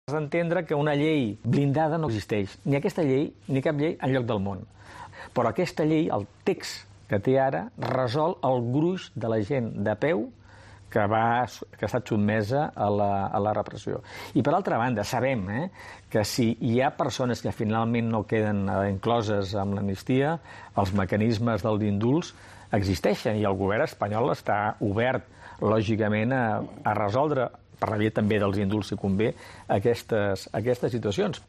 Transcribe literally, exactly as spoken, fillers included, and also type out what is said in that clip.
Has d'entendre que una llei blindada no existeix, ni aquesta llei ni cap llei enlloc del món. Però aquesta llei, el text que té ara, resol el gruix de la gent de peu que, va, que ha estat sotmesa a la, a la repressió. I per altra banda, sabem eh, que si hi ha persones que finalment no queden incloses amb l'amnistia, els mecanismes dels indults existeixen i el govern espanyol està obert, lògicament, a, a resoldre per la via també dels indults, si convé, aquestes, aquestes situacions.